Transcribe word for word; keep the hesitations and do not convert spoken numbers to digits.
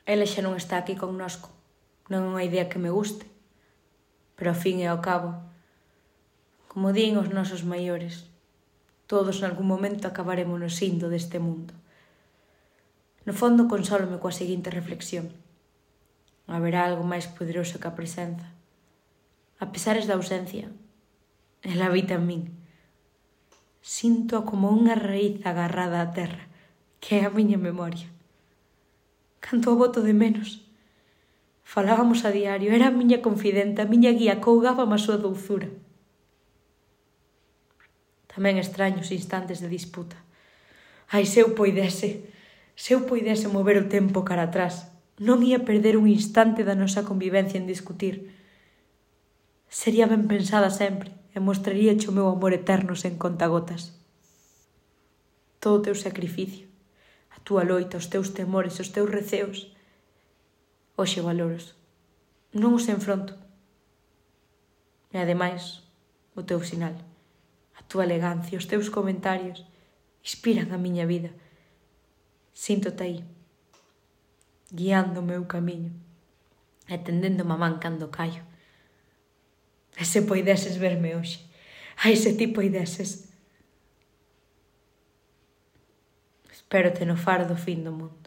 Ela xa non está aquí connosco. Non é unha idea que me guste. Pero ao fin e ao cabo, como din os nosos maiores, todos nalgún momento acabaremos no indo deste mundo. No fondo consólome coa seguinte reflexión. Haberá algo máis poderoso que a presenza. A pesares da ausencia, ela habita en min. Sinto como unha raíz agarrada á terra, que é a miña memoria. Canto a boto de menos. Falábamos a diario, era a miña confidenta, a miña guía, cougábame a súa douzura. Tamén extraño os instantes de disputa. Ai, se eu poidese, se eu poidese mover o tempo cara atrás, non ia perder un instante da nosa convivencia en discutir. Sería ben pensada sempre e mostraríache o meu amor eterno sen contagotas. Todo o teu sacrificio, a túa loita, os teus temores, os teus receos, hoxe valoros. Non os enfronto. E ademais, o teu sinal, a túa elegancia, os teus comentarios, inspiran a miña vida. Síntote aí, guiando o meu camiño e tendéndome a man cando caio. E se poideses verme hoxe, ai, se ti poideses. Espérote no faro do fin do mundo.